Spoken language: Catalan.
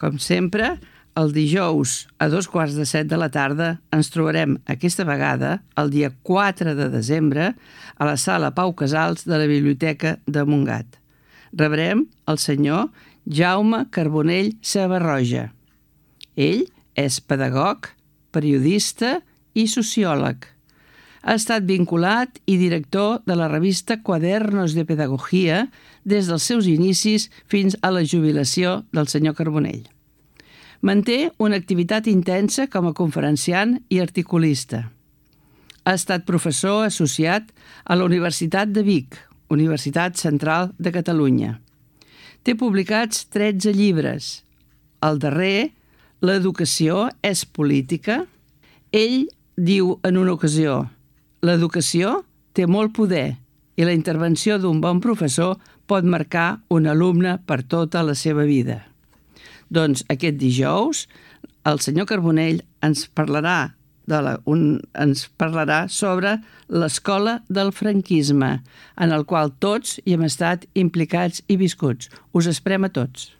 Com sempre, el dijous a 2:15 de la tarda ens trobarem aquesta vegada, el dia 4 de desembre, a la sala Pau Casals de la Biblioteca de Montgat. Rebrem el senyor Jaume Carbonell Sebarroja. Ell és pedagog, periodista i sociòleg. Ha estat vinculat i director de la revista Quadernos de Pedagogía des dels seus inicis fins a la jubilació del senyor Carbonell. Manté una activitat intensa com a conferenciant i articulista. Ha estat professor associat a la Universitat de Vic, Universitat Central de Catalunya. Té publicats 13 llibres. El darrer, L'educació és política. Ell diu en una ocasió: l'educació té molt poder i la intervenció d'un bon professor pot marcar un alumne per tota la seva vida. Doncs aquest dijous el senyor Carbonell ens parlarà sobre l'escola del franquisme, en el qual tots hi hem estat implicats i viscuts. Us esperem a tots.